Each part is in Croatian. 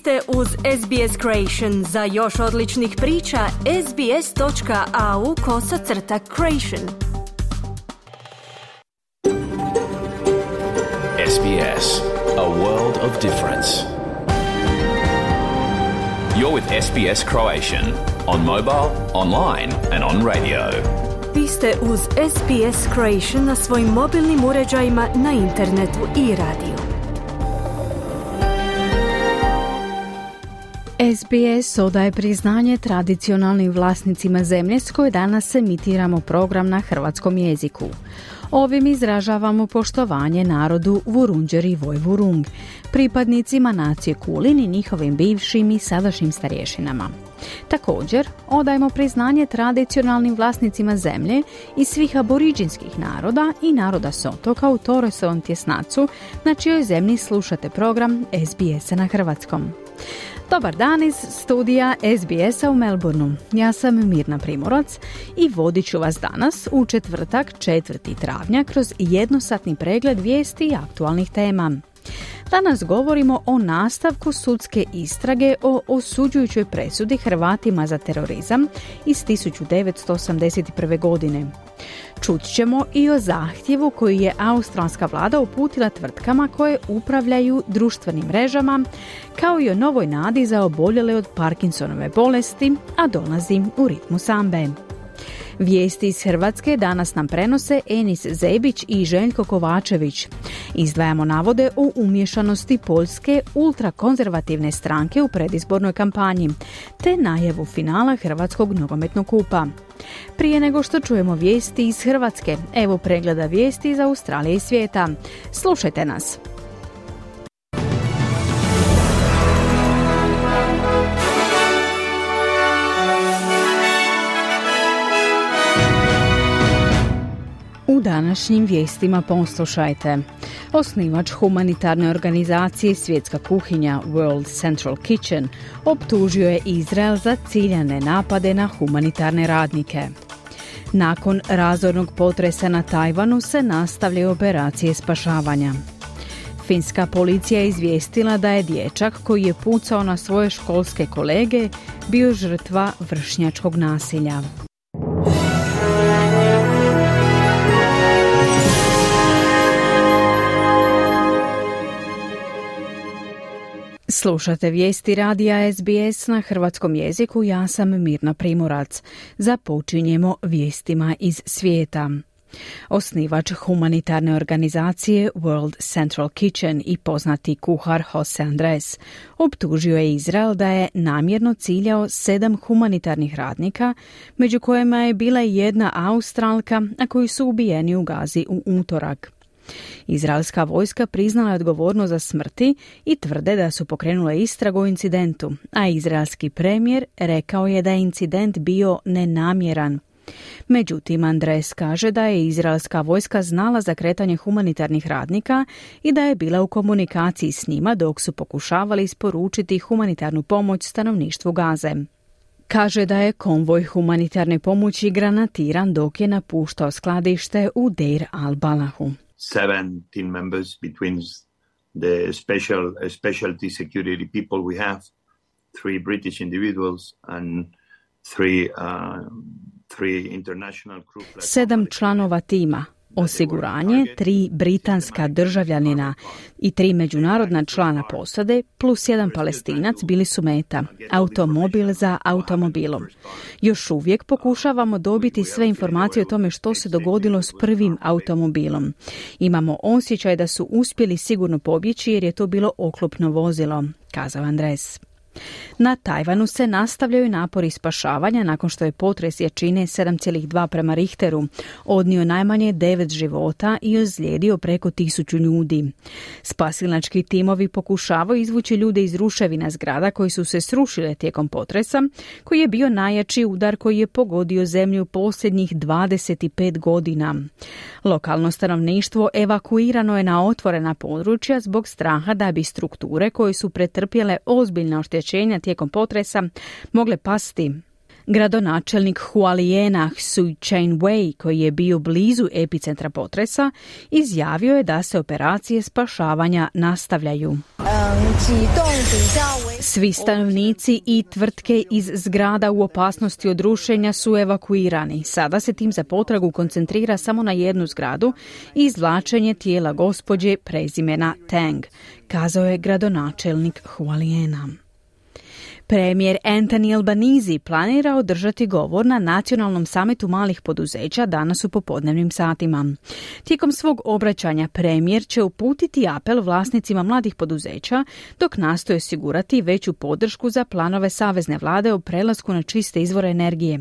ste uz SBS Creation. Za još odličnih priča, sbs.au/creation. SBS, a world of difference. You're with SBS Croatian on mobile, online and on radio. Vi ste uz SBS Creation na svojim mobilnim uređajima, na internetu i radiju. SBS odaje priznanje tradicionalnim vlasnicima zemlje s koje danas emitiramo program na hrvatskom jeziku. Ovim izražavamo poštovanje narodu Vurundjeri Vojvurung, pripadnicima nacije Kulin i njihovim bivšim i sadašnjim starješinama. Također, odajemo priznanje tradicionalnim vlasnicima zemlje i svih aboriđinskih naroda i naroda s otoka u Torresovom tjesnacu, na čijoj zemlji slušate program SBS-a na hrvatskom. Dobar dan iz studija SBS-a u Melbourneu. Ja sam Mirna Primorac i vodit ću vas danas u četvrtak 4. travnja kroz jednosatni pregled vijesti i aktualnih tema. Danas govorimo o nastavku sudske istrage o osuđujućoj presudi Hrvatima za terorizam iz 1981. godine. Čut ćemo i o zahtjevu koji je australska vlada uputila tvrtkama koje upravljaju društvenim mrežama, kao i o novoj nadi za oboljele od Parkinsonove bolesti, a dolazi u ritmu sambe. Vijesti iz Hrvatske danas nam prenose Enis Zebić i Željko Kovačević. Izdvajamo navode o umiješanosti Poljske ultrakonzervativne stranke u predizbornoj kampanji, te najavu finala Hrvatskog nogometnog kupa. Prije nego što čujemo vijesti iz Hrvatske, evo pregleda vijesti iz Australije i svijeta. Slušajte nas! U današnjim vijestima poslušajte. Osnivač humanitarne organizacije Svjetska kuhinja World Central Kitchen optužio je Izrael za ciljane napade na humanitarne radnike. Nakon razornog potresa na Tajvanu se nastavljaju operacije spašavanja. Finska policija je izvijestila da je dječak koji je pucao na svoje školske kolege bio žrtva vršnjačkog nasilja. Slušate vijesti radija SBS na hrvatskom jeziku, ja sam Mirna Primorac. Započinjemo vijestima iz svijeta. Osnivač humanitarne organizacije World Central Kitchen i poznati kuhar Jose Andres optužio je Izrael da je namjerno ciljao 7 humanitarnih radnika, među kojima je bila i jedna Australka, a koji su ubijeni u Gazi u utorak. Izraelska vojska priznala je odgovornost za smrti i tvrde da su pokrenule istragu o incidentu, a izraelski premijer rekao je da je incident bio nenamjeran. Međutim, Andres kaže da je izraelska vojska znala za kretanje humanitarnih radnika i da je bila u komunikaciji s njima dok su pokušavali isporučiti humanitarnu pomoć stanovništvu Gaze. Kaže da je konvoj humanitarne pomoći granatiran dok je napuštao skladište u Deir al-Balahu. 17 members between the specialty security people we have, 3 British individuals and 3 international crew. 7 članova tima, osiguranje, 3 britanska državljanina i 3 međunarodna člana posade plus 1 Palestinac bili su meta, automobil za automobilom. Još uvijek pokušavamo dobiti sve informacije o tome što se dogodilo s prvim automobilom. Imamo osjećaj da su uspjeli sigurno pobjeći jer je to bilo oklopno vozilo, kazao Andres. Na Tajvanu se nastavljaju napori spašavanja nakon što je potres jačine 7,2 prema Richteru odnio najmanje 9 života i ozlijedio preko 1000 ljudi. Spasilački timovi pokušavaju izvući ljude iz ruševina zgrada koji su se srušile tijekom potresa, koji je bio najjači udar koji je pogodio zemlju posljednjih 25 godina. Lokalno stanovništvo evakuirano je na otvorena područja zbog straha da bi strukture koje su pretrpjele ozbiljna oštećenja tijekom potresa mogle pasti. Gradonačelnik Hualijena Sui Chien-wei, koji je bio blizu epicentra potresa, izjavio je da se operacije spašavanja nastavljaju. Svi stanovnici i tvrtke iz zgrada u opasnosti od rušenja su evakuirani. Sada se tim za potragu koncentrira samo na jednu zgradu i izvlačenje tijela gospođe prezimena Tang, kazao je gradonačelnik Hualiena. Premijer Anthony Albanese planira održati govor na nacionalnom samitu malih poduzeća danas u popodnevnim satima. Tijekom svog obraćanja premijer će uputiti apel vlasnicima mladih poduzeća dok nastoje osigurati veću podršku za planove savezne vlade o prelasku na čiste izvore energije.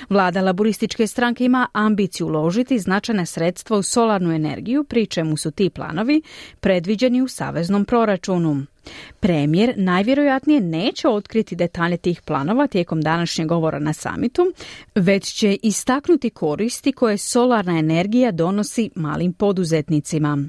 Vlada laborističke stranke ima ambiciju uložiti značajna sredstva u solarnu energiju, pri čemu su ti planovi predviđeni u saveznom proračunu. Premijer najvjerojatnije neće otkriti detalje tih planova tijekom današnjeg govora na samitu, već će istaknuti koristi koje solarna energija donosi malim poduzetnicima.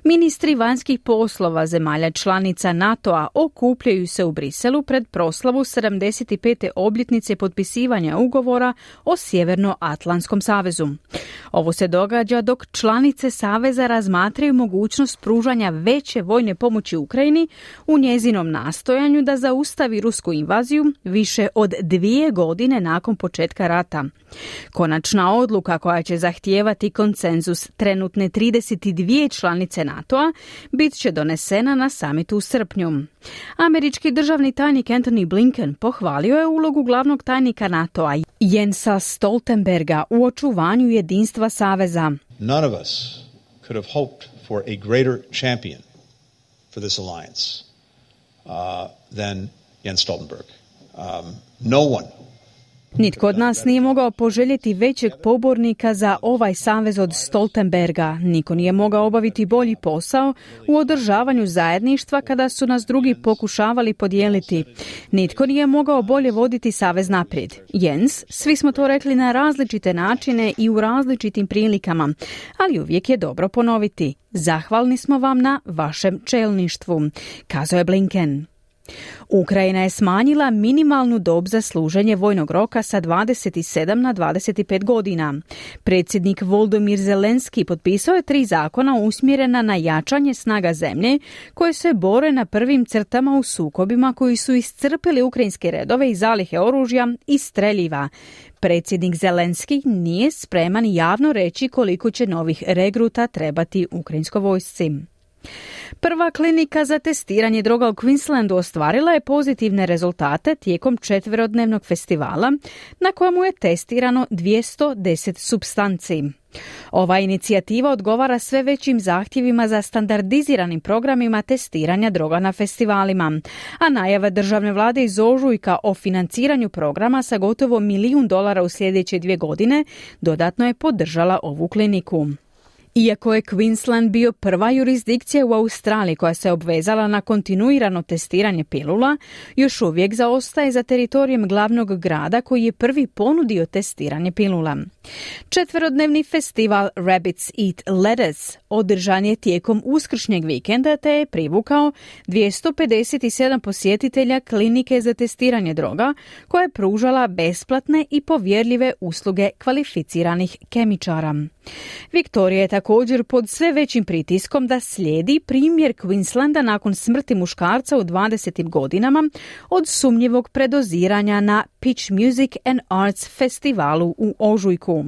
Ministri vanjskih poslova zemalja članica NATO-a okupljaju se u Briselu pred proslavu 75. obljetnice potpisivanja ugovora o Sjevernoatlantskom savezu. Ovo se događa dok članice saveza razmatraju mogućnost pružanja veće vojne pomoći Ukrajini u njezinom nastojanju da zaustavi rusku invaziju više od 2 godine nakon početka rata. Konačna odluka koja će zahtijevati konsenzus trenutne 32 članice NATO-a bit će donesena na samitu u srpnju. Američki državni tajnik Antony Blinken pohvalio je ulogu glavnog tajnika NATO-a Jensa Stoltenberga u očuvanju jedinstva saveza. None of us could have hoped for a greater champion for this alliance than Jens Stoltenberg. No one. Nitko od nas nije mogao poželjeti većeg pobornika za ovaj savez od Stoltenberga. Niko nije mogao obaviti bolji posao u održavanju zajedništva kada su nas drugi pokušavali podijeliti. Nitko nije mogao bolje voditi savez naprijed. Jens, svi smo to rekli na različite načine i u različitim prilikama, ali uvijek je dobro ponoviti. Zahvalni smo vam na vašem čelništvu, kazao je Blinken. Ukrajina je smanjila minimalnu dob za služenje vojnog roka sa 27 na 25 godina. Predsjednik Volodymyr Zelenski potpisao je 3 zakona usmjerena na jačanje snaga zemlje koje se bore na prvim crtama u sukobima koji su iscrpili ukrajinske redove i zalihe oružja i streljiva. Predsjednik Zelenski nije spreman javno reći koliko će novih regruta trebati ukrajinskoj vojsci. Prva klinika za testiranje droga u Queenslandu ostvarila je pozitivne rezultate tijekom 4-dnevnog festivala na kojemu je testirano 210 supstanci. Ova inicijativa odgovara sve većim zahtjevima za standardiziranim programima testiranja droga na festivalima, a najava državne vlade iz ožujka o financiranju programa sa gotovo $1 milijun u sljedeće 2 godine dodatno je podržala ovu kliniku. Iako je Queensland bio prva jurisdikcija u Australiji koja se obvezala na kontinuirano testiranje pilula, još uvijek zaostaje za teritorijem glavnog grada koji je prvi ponudio testiranje pilula. 4-dnevni festival Rabbits Eat Lettuce održan je tijekom uskršnjeg vikenda te je privukao 257 posjetitelja klinike za testiranje droga koja je pružala besplatne i povjerljive usluge kvalificiranih kemičara. Viktorija je također pod sve većim pritiskom da slijedi primjer Queenslanda nakon smrti muškarca u 20. godinama od sumnjivog predoziranja na Pitch Music and Arts festivalu u ožujku.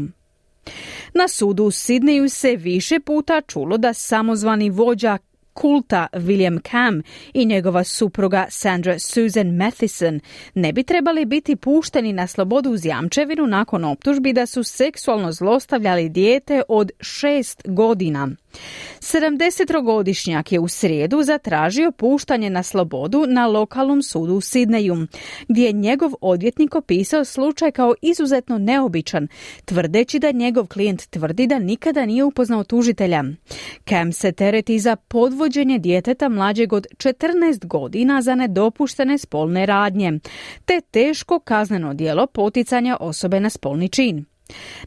Na sudu u Sidneju se više puta čulo da samozvani vođa kulta William Cam i njegova supruga Sandra Susan Matheson ne bi trebali biti pušteni na slobodu uz jamčevinu nakon optužbi da su seksualno zlostavljali dijete od 6 godina. 70-godišnjak je u srijedu zatražio puštanje na slobodu na lokalnom sudu u Sidneju, gdje je njegov odvjetnik opisao slučaj kao izuzetno neobičan, tvrdeći da njegov klijent tvrdi da nikada nije upoznao tužitelja. Cam se tereti za podvođenje djeteta mlađeg od 14 godina za nedopuštene spolne radnje, te teško kazneno djelo poticanja osobe na spolni čin.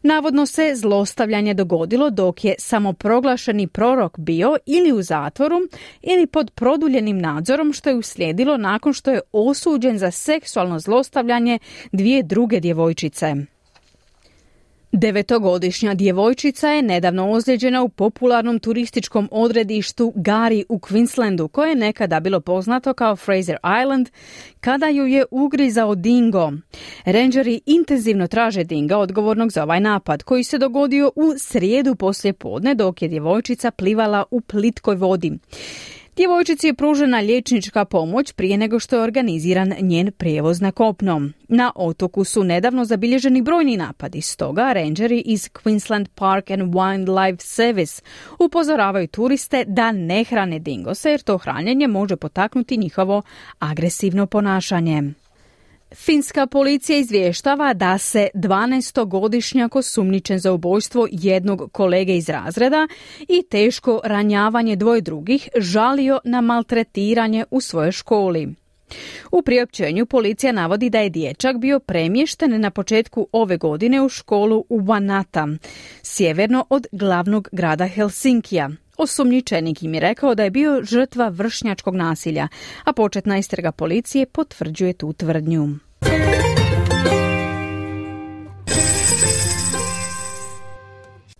Navodno se zlostavljanje dogodilo dok je samoproglašeni prorok bio ili u zatvoru ili pod produljenim nadzorom, što je uslijedilo nakon što je osuđen za seksualno zlostavljanje 2 druge djevojčice. 9-godišnja djevojčica je nedavno ozlijeđena u popularnom turističkom odredištu Gari u Queenslandu, koje je nekada bilo poznato kao Fraser Island, kada ju je ugrizao dingo. Rangeri intenzivno traže dinga odgovornog za ovaj napad, koji se dogodio u srijedu poslijepodne dok je djevojčica plivala u plitkoj vodi. Djevojčici je pružena liječnička pomoć prije nego što je organiziran njen prijevoz na kopno. Na otoku su nedavno zabilježeni brojni napadi, stoga rangeri iz Queensland Park and Wildlife Service upozoravaju turiste da ne hrane dingose, jer to hranjenje može potaknuti njihovo agresivno ponašanje. Finska policija izvještava da se 12-godišnjak osumnjičen za ubojstvo jednog kolege iz razreda i teško ranjavanje dvoje drugih žalio na maltretiranje u svojoj školi. U priopćenju policija navodi da je dječak bio premješten na početku ove godine u školu u Vanata, sjeverno od glavnog grada Helsinkija. Osumnjičenik im je rekao da je bio žrtva vršnjačkog nasilja, a početna istraga policije potvrđuje tu tvrdnju.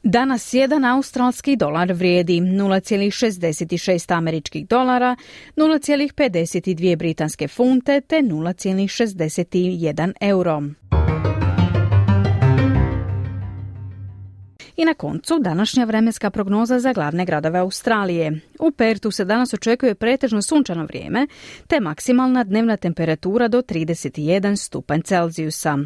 Danas jedan australski dolar vrijedi 0,66 američkih dolara, 0,52 britanske funte te 0,61 euro. I na koncu današnja vremenska prognoza za glavne gradove Australije. U Pertu se danas očekuje pretežno sunčano vrijeme, te maksimalna dnevna temperatura do 31 stupanj Celzijusa.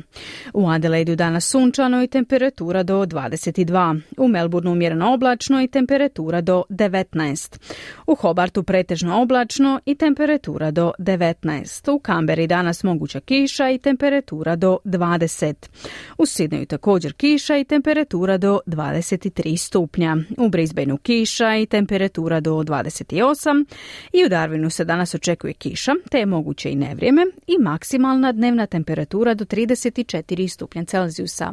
U Adelaidu danas sunčano i temperatura do 22. U Melbourneu umjereno oblačno i temperatura do 19. U Hobartu pretežno oblačno i temperatura do 19. U Canberri danas moguća kiša i temperatura do 20. U Sydneyu također kiša i temperatura do 23 stupnja. U Brisbaneu kiša i temperatura do 28 i u Darwinu se danas očekuje kiša, te je moguće i nevrijeme i maksimalna dnevna temperatura do 34 stupnja Celzijusa.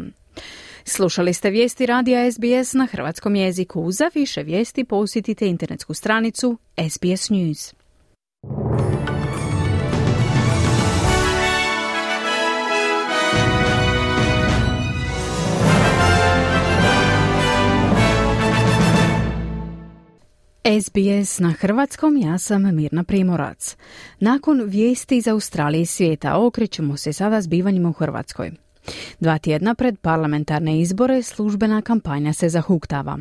Slušali ste vijesti radija SBS na hrvatskom jeziku. Za više vijesti posjetite internetsku stranicu SBS News. SBS na hrvatskom, ja sam Mirna Primorac. Nakon vijesti iz Australije i svijeta okrećemo se sada zbivanjima u Hrvatskoj. 2 tjedna pred parlamentarne izbore službena kampanja se zahuktava.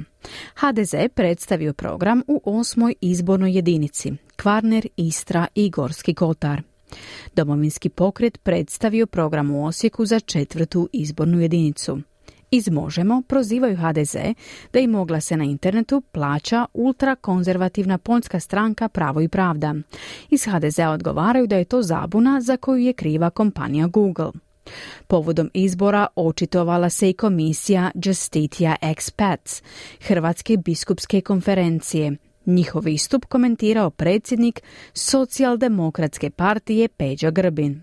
HDZ predstavio program u 8. izbornoj jedinici, Kvarner, Istra i Gorski kotar. Domovinski pokret predstavio program u Osijeku za 4. izbornu jedinicu. Iz Možemo prozivaju HDZ da im oglase na internetu plaća ultrakonzervativna poljska stranka Pravo i pravda. Iz HDZ-a odgovaraju da je to zabuna za koju je kriva kompanija Google. Povodom izbora očitovala se i komisija Justitia Expats, Hrvatske biskupske konferencije. Njihov istup komentirao predsjednik Socijaldemokratske partije Peđa Grbin.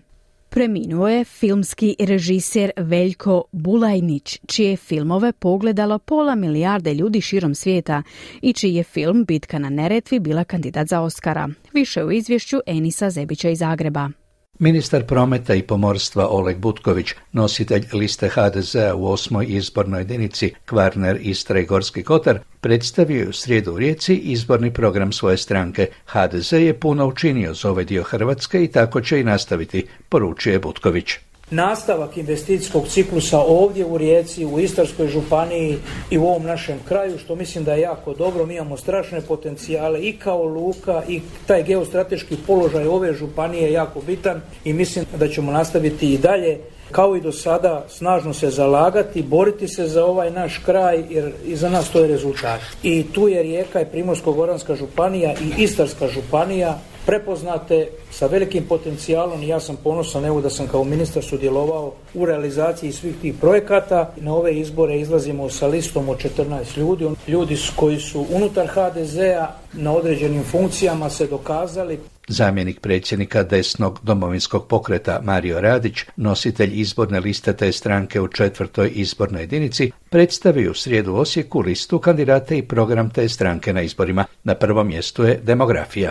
Preminuo je filmski režiser Veljko Bulajnić, čije filmove pogledalo 500 milijarde ljudi širom svijeta i čiji je film Bitka na Neretvi bila kandidat za Oscara. Više u izvješću Enisa Zebića iz Zagreba. Ministar prometa i pomorstva Oleg Butković, nositelj liste HDZ-a u 8. izbornoj jedinici Kvarner, Istra i Gorski kotar, predstavio je u srijedu u Rijeci izborni program svoje stranke. HDZ je puno učinio za ovaj dio Hrvatske i tako će i nastaviti, poručuje Butković. Nastavak investicijskog ciklusa ovdje u Rijeci, u Istarskoj županiji i u ovom našem kraju, što mislim da je jako dobro. Mi imamo strašne potencijale i kao luka i taj geostrateški položaj ove županije je jako bitan i mislim da ćemo nastaviti i dalje kao i do sada snažno se zalagati, boriti se za ovaj naš kraj jer iza nas to je rezultat. I tu je Rijeka i Primorsko-goranska županija i Istarska županija prepoznate sa velikim potencijalom i ja sam ponosan evo da sam kao ministar sudjelovao u realizaciji svih tih projekata. Na ove izbore izlazimo sa listom od 14 ljudi. Ljudi koji su unutar HDZ-a na određenim funkcijama se dokazali. Zamjenik predsjednika desnog domovinskog pokreta Mario Radić, nositelj izborne liste te stranke u 4. izbornoj jedinici, predstavio u srijedu u Osijeku listu kandidata i program te stranke na izborima. Na prvom mjestu je demografija.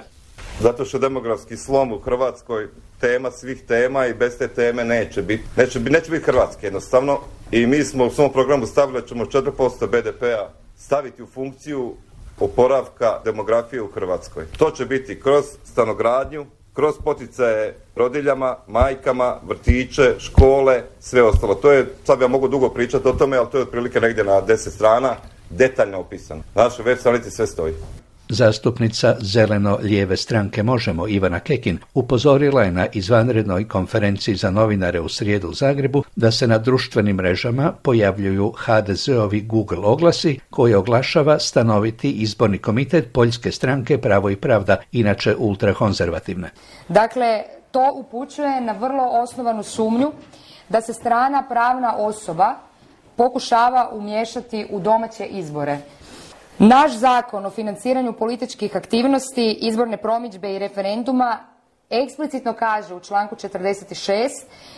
Zato što demografski slom u Hrvatskoj tema svih tema i bez te teme neće biti Hrvatske jednostavno. I mi smo u svom programu stavili da ćemo 4% BDP-a staviti u funkciju oporavka demografije u Hrvatskoj. To će biti kroz stanogradnju, kroz poticaje rodiljama, majkama, vrtiće, škole, sve ostalo. To je, sad ja mogu dugo pričati o tome, ali to je otprilike negdje na 10 strana detaljno opisano. Na našoj web stranici sve stoji. Zastupnica zeleno-lijeve stranke Možemo Ivana Kekin upozorila je na izvanrednoj konferenciji za novinare u srijedu u Zagrebu da se na društvenim mrežama pojavljuju HDZ-ovi Google oglasi koje oglašava stanoviti izborni komitet Poljske stranke Pravo i pravda, inače ultrakonzervativne. Dakle, to upućuje na vrlo osnovanu sumnju da se strana pravna osoba pokušava umiješati u domaće izbore. Naš zakon o financiranju političkih aktivnosti, izborne promidžbe i referenduma eksplicitno kaže u članku 46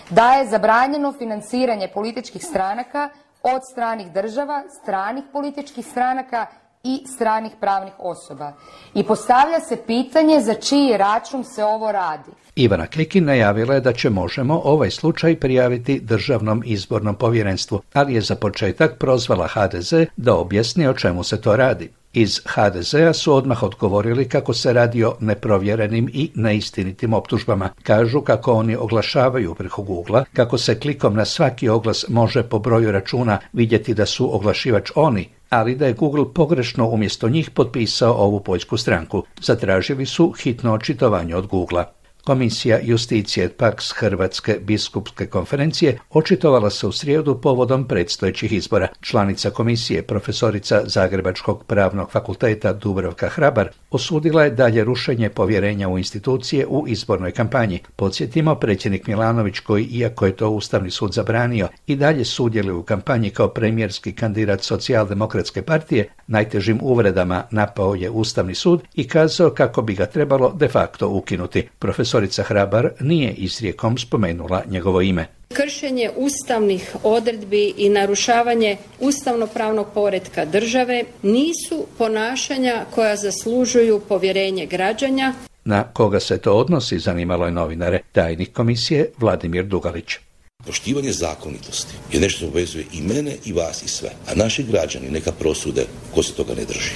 da je zabranjeno financiranje političkih stranaka od stranih država, stranih političkih stranaka i stranih pravnih osoba. I postavlja se pitanje za čiji račun se ovo radi. Ivana Kekin najavila je da će Možemo ovaj slučaj prijaviti Državnom izbornom povjerenstvu, ali je za početak prozvala HDZ da objasni o čemu se to radi. Iz HDZ-a su odmah odgovorili kako se radi o neprovjerenim i neistinitim optužbama. Kažu kako oni oglašavaju preko Googlea, kako se klikom na svaki oglas može po broju računa vidjeti da su oglašivač oni, ali da je Google pogrešno umjesto njih potpisao ovu poljsku stranku. Zatražili su hitno očitovanje od Googlea. Komisija Justicije Paks Hrvatske biskupske konferencije očitovala se u srijedu povodom predstojećih izbora. Članica komisije, profesorica Zagrebačkog pravnog fakulteta Dubravka Hrabar, osudila je dalje rušenje povjerenja u institucije u izbornoj kampanji. Podsjetimo, predsjednik Milanović, koji, iako je to Ustavni sud zabranio, i dalje sudjeluje u kampanji kao premijerski kandidat Socijaldemokratske partije, najtežim uvredama napao je Ustavni sud i kazao kako bi ga trebalo de facto ukinuti. Profesorica Hrabar nije izrijekom spomenula njegovo ime. Kršenje ustavnih odredbi i narušavanje ustavno-pravnog poretka države nisu ponašanja koja zaslužuju povjerenje građana. Na koga se to odnosi, zanimalo je novinare. Tajnik komisije Vladimir Dugalić. Poštivanje zakonitosti je nešto što obvezuje i mene i vas i sve, a naši građani neka prosude ko se toga ne drži.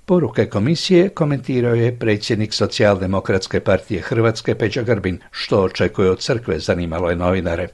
Poruke komisije komentirao je predsjednik Socijaldemokratske partije Hrvatske Peđa Grbin. Što očekuje od crkve, zanimalo je novinare.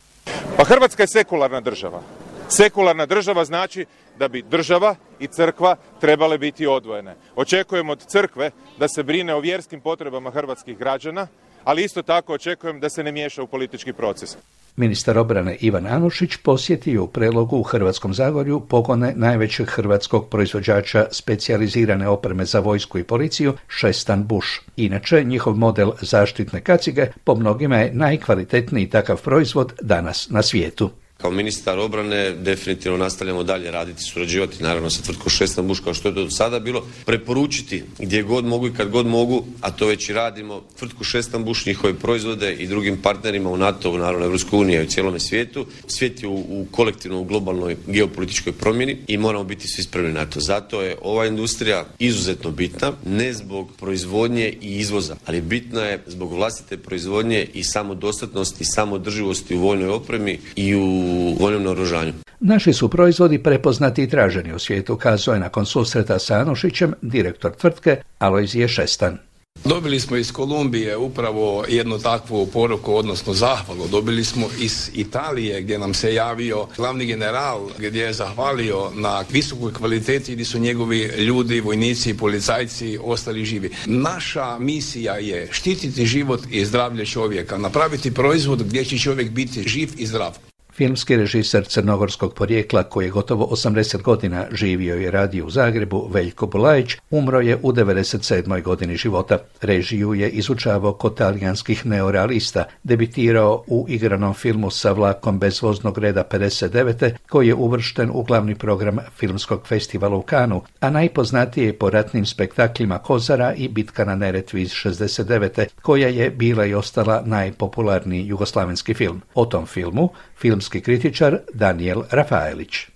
Pa Hrvatska je sekularna država. Sekularna država znači da bi država i crkva trebale biti odvojene. Očekujem od crkve da se brine o vjerskim potrebama hrvatskih građana, ali isto tako očekujem da se ne miješa u politički proces. Ministar obrane Ivan Anušić posjetio u Prelogu u Hrvatskom Zagorju pogone najvećeg hrvatskog proizvođača specijalizirane opreme za vojsku i policiju, Šestan Bush. Inače, njihov model zaštitne kacige po mnogima je najkvalitetniji takav proizvod danas na svijetu. Kao ministar obrane definitivno nastavljamo dalje raditi, surađivati naravno sa tvrtkom Šestan Bush kao što je to do sada bilo, preporučiti gdje god mogu i kad god mogu, a to već i radimo, tvrtku Šestan Bush, njihove proizvode i drugim partnerima u NATO-u, naravno Evropskoj uniji i u cijelome svijetu. Svijet je u kolektivno u globalnoj geopolitičkoj promjeni i moramo biti svi spremni na to. Zato je ova industrija izuzetno bitna, ne zbog proizvodnje i izvoza, ali bitna je zbog vlastite proizvodnje i samodostatnosti i samodrživosti u vojnoj opremi i u vojnom naoružanju. Naši su proizvodi prepoznati i traženi u svijetu, kazao je nakon susreta sa Anušićem direktor tvrtke Alojzije Šestan. Dobili smo iz Kolumbije upravo jednu takvu poruku, odnosno zahvalu. Dobili smo iz Italije gdje nam se javio glavni general, gdje je zahvalio na visokoj kvaliteti gdje su njegovi ljudi, vojnici i policajci ostali živi. Naša misija je štititi život i zdravlje čovjeka, napraviti proizvod gdje će čovjek biti živ i zdrav. Filmski režiser crnogorskog porijekla koji je gotovo 80 godina živio i radio u Zagrebu, Veljko Bulajić, umro je u 97. godini života. Režiju je izučavao kod talijanskih neorealista, debitirao u igranom filmu Sa vlakom bez voznog reda 59. koji je uvršten u glavni program filmskog festivala u Kanu, a najpoznatiji je po ratnim spektaklima Kozara i Bitka na Neretvi iz 69. koja je bila i ostala najpopularniji jugoslavenski film. O tom filmu filmski kritičar Daniel Rafaelić.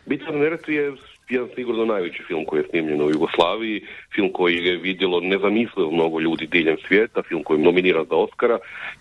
Bitka na Neretvi je jedan sigurno najveći film koji je snimljen u Jugoslaviji, film koji je vidjelo nezamislivo mnogo ljudi diljem svijeta, film koji je nominiran za Oscara,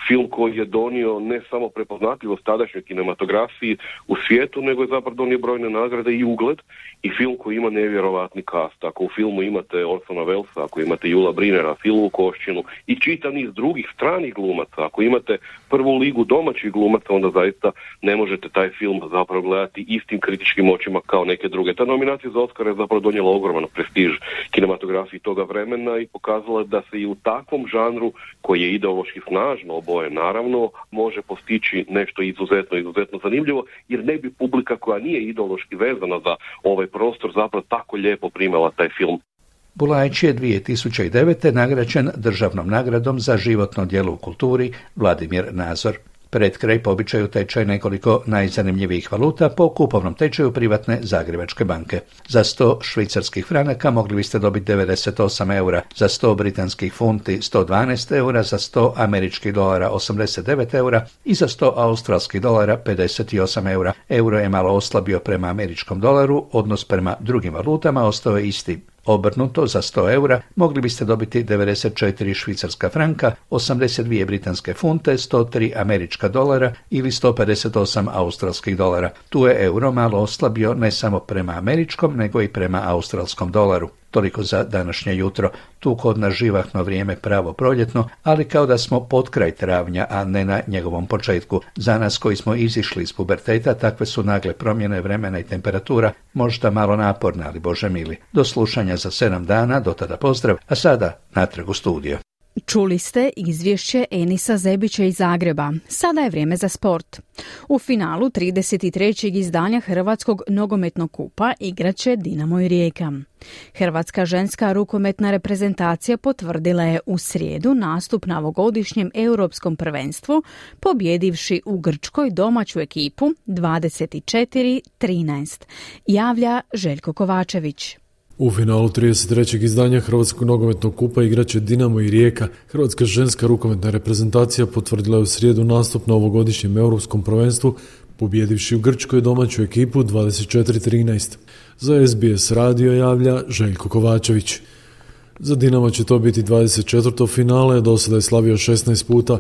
film koji je donio ne samo prepoznatljivost tadašnjoj kinematografiji u svijetu, nego je zapravo donio brojne nagrade i ugled, i film koji ima nevjerovatni kast. Ako u filmu imate Orsona Wellesa, ako imate Jula Brinera, Silu Koščinu i čitav niz drugih stranih glumaca, ako imate prvu ligu domaćih glumaca, onda zaista ne možete taj film zapravo gledati istim kritičkim očima kao neke druge. Ta nominacija za Oscar je zapravo donijela ogroman prestiž kinematografiji toga vremena i pokazala da se i u takvom žanru, koji je ideološki snažno obojen, naravno, može postići nešto izuzetno zanimljivo, jer ne bi publika koja nije ideološki vezana za ovaj prostor zapravo tako lijepo primala taj film. Bulajić je 2009. nagrađen državnom nagradom za životno djelo u kulturi Vladimir Nazor. Pred kraj po običaju tečaj nekoliko najzanimljivijih valuta po kupovnom tečaju privatne Zagrebačke banke. Za 100 švicarskih franaka mogli biste dobiti 98 eura, za 100 britanskih funti 112 eura, za 100 američkih dolara 89 eura i za 100 australskih dolara 58 eura. Euro je malo oslabio prema američkom dolaru, odnos prema drugim valutama ostao je isti. Obrnuto, za 100 eura mogli biste dobiti 94 švicarska franka, 82 britanske funte, 103 američka dolara ili 158 australskih dolara. Tu je euro malo oslabio ne samo prema američkom, nego i prema australskom dolaru. Toliko za današnje jutro. Tu kod nas živahno vrijeme pravo proljetno, ali kao da smo pod kraj travnja, a ne na njegovom početku. Za nas koji smo izišli iz puberteta, takve su nagle promjene vremena i temperatura, možda malo naporne, ali Bože mili. Do slušanja za 7 dana, do tada pozdrav, a sada natrag u studio. Čuli ste izvješće Enisa Zebića iz Zagreba. Sada je vrijeme za sport. U finalu 33. izdanja Hrvatskog nogometnog kupa igraće Dinamo i Rijeka. Hrvatska ženska rukometna reprezentacija potvrdila je u srijedu nastup na ovogodišnjem europskom prvenstvu, pobjedivši u Grčkoj domaću ekipu 24-13. Javlja Željko Kovačević. U finalu 33. izdanja Hrvatskog nogometnog kupa igraće Dinamo i Rijeka. Hrvatska ženska rukometna reprezentacija potvrdila je u srijedu nastup na ovogodišnjem europskom prvenstvu, pobjedivši u Grčkoj domaću ekipu 24-13. Za SBS radio javlja Željko Kovačević. Za Dinamo će to biti 24. finale, do sada je slavio 16 puta.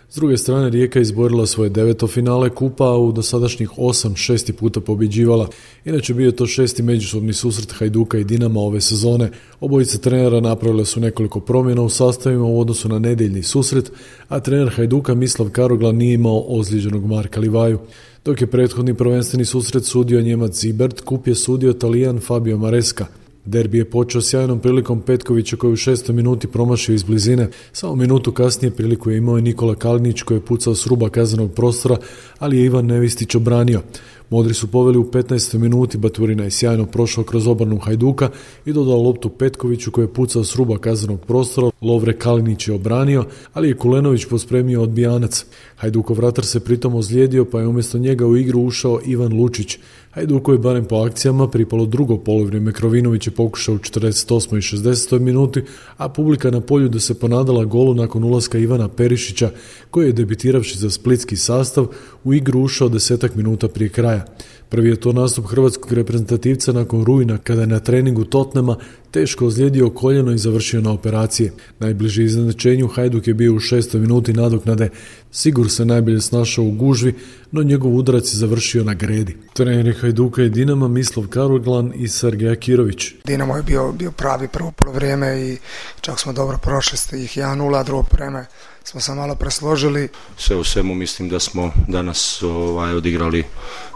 S druge strane, Rijeka izborila svoje 9. finale kupa, a u dosadašnjih 8 6 puta pobjeđivala. Inače bio je to 6. međusobni susret Hajduka i Dinama ove sezone. Obojice trenera napravile su nekoliko promjena u sastavima u odnosu na nedjeljni susret, a trener Hajduka Mislav Karoglan nije imao ozlijeđenog Marka Livaju. Dok je prethodni prvenstveni susret sudio Njemac Zibert, kup je sudio Talijan Fabio Maresca. Derbi je počeo sjajnom prilikom Petkovića koji u 6. minuti promašio iz blizine. Samo minutu kasnije priliku je imao i Nikola Kalinić koji je pucao s ruba kaznenog prostora, ali je Ivan Nevistić obranio. Modri su poveli u 15. minuti, Baturina je sjajno prošao kroz obranu Hajduka i dodao loptu Petkoviću koji je pucao s ruba kaznenog prostora. Lovre Kalinić je obranio, ali je Kulenović pospremio odbijanac. Hajdukov vratar se pritom ozlijedio, pa je umjesto njega u igru ušao Ivan Lučić. Hajduku je barem po akcijama pripalo drugo poluvrijeme. Krovinović je pokušao u 48. i 60. minuti, a publika na polju da se ponadala golu nakon ulaska Ivana Perišića, koji je debitiravši za splitski sastav u igru ušao 10 minuta prije kraja. Prvi je to nastup hrvatskog reprezentativca nakon rujna, kada je na treningu Tottenhama teško ozlijedio koljeno i završio na operacije. Najbliži iznenađenju Hajduk je bio u 6. minuti nadoknade. Sigur se najbolje snašao u gužvi, no njegov udarac je završio na gredi. Treneri Hajduka i Dinama Mislav Karoglan i Sergej Akirović. Dinamo je bio pravi prvo polovrijeme i čak smo dobro prošli ih 1-0, a drugo vrijeme smo se malo presložili. Sve u svemu mislim da smo danas odigrali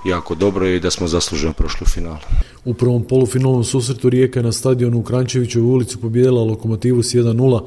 jako dobro i da smo zasluženo prošli u finalu. U prvom polufinalnom susretu Rijeka je na stadionu u Krančevićevoj ulici pobijedila Lokomotivu s 1-0,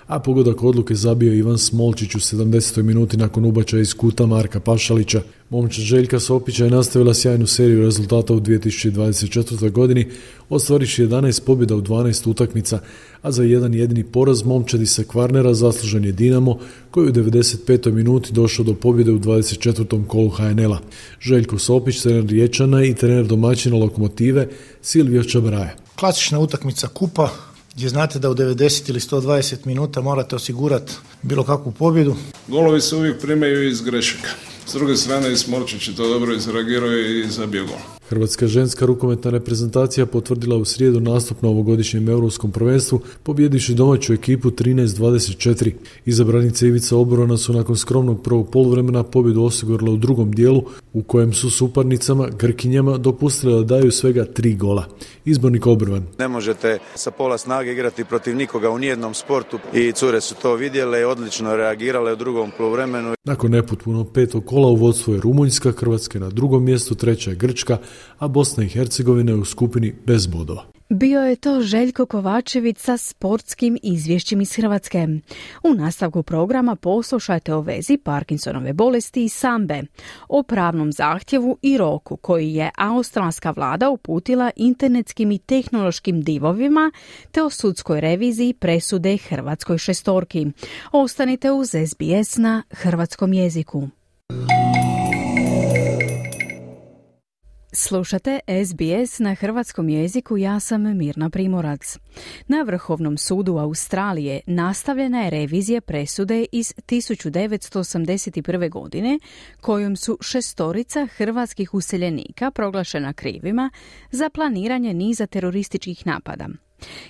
a pogodak odluke zabio Ivan Smolčić u 70. minuti nakon ubačaja iz kuta Marka Pašalića. Momčad Željka Sopića je nastavila sjajnu seriju rezultata u 2024. godini, ostvariši 11 pobjeda u 12 utakmica, a za jedan jedini poraz momčadi sa Kvarnera zaslužen je Dinamo, koji u 95. minuti došao do pobjede u 24. kolu HNL-a. Željko Sopić, trener Riječana i trener domaćina Lokomotive Silvio Čabraja. Klasična utakmica kupa, gdje znate da u 90 ili 120 minuta morate osigurati bilo kakvu pobjedu. Golovi se uvijek primaju iz grešaka. S druge strane, Smolčić je to dobro izreagirao i zabio gol. Hrvatska ženska rukometna reprezentacija potvrdila u srijedu nastup na ovogodišnjem europskom prvenstvu, pobjedivši domaću ekipu 13-24. Izabranice Ivica Oborona su nakon skromnog prvog poluvremena pobjedu osigurale u drugom dijelu, u kojem su suparnicama Grkinjama dopustile da daju svega 3 gola. Izbornik Obrvan. Ne možete sa pola snage igrati protiv nikoga u nijednom sportu i cure su to vidjele i odlično reagirale u drugom poluvremenu. Nakon nepotpuno 5. kola u vodstvu je Rumunjska, Hrvatska na drugom mjestu, treća je Grčka, a Bosna i Hercegovina je u skupini bez bodova. Bio je to Željko Kovačević sa sportskim izvješćima iz Hrvatske. U nastavku programa poslušajte o vezi Parkinsonove bolesti i sambe, o pravnom zahtjevu i roku koji je australska vlada uputila internetskim i tehnološkim divovima, te o sudskoj reviziji presude hrvatskoj šestorki. Ostanite uz SBS na hrvatskom jeziku. Slušate SBS na hrvatskom jeziku, ja sam Mirna Primorac. Na Vrhovnom sudu Australije nastavljena je revizija presude iz 1981. godine kojom su 6 hrvatskih useljenika proglašena krivima za planiranje niza terorističkih napada.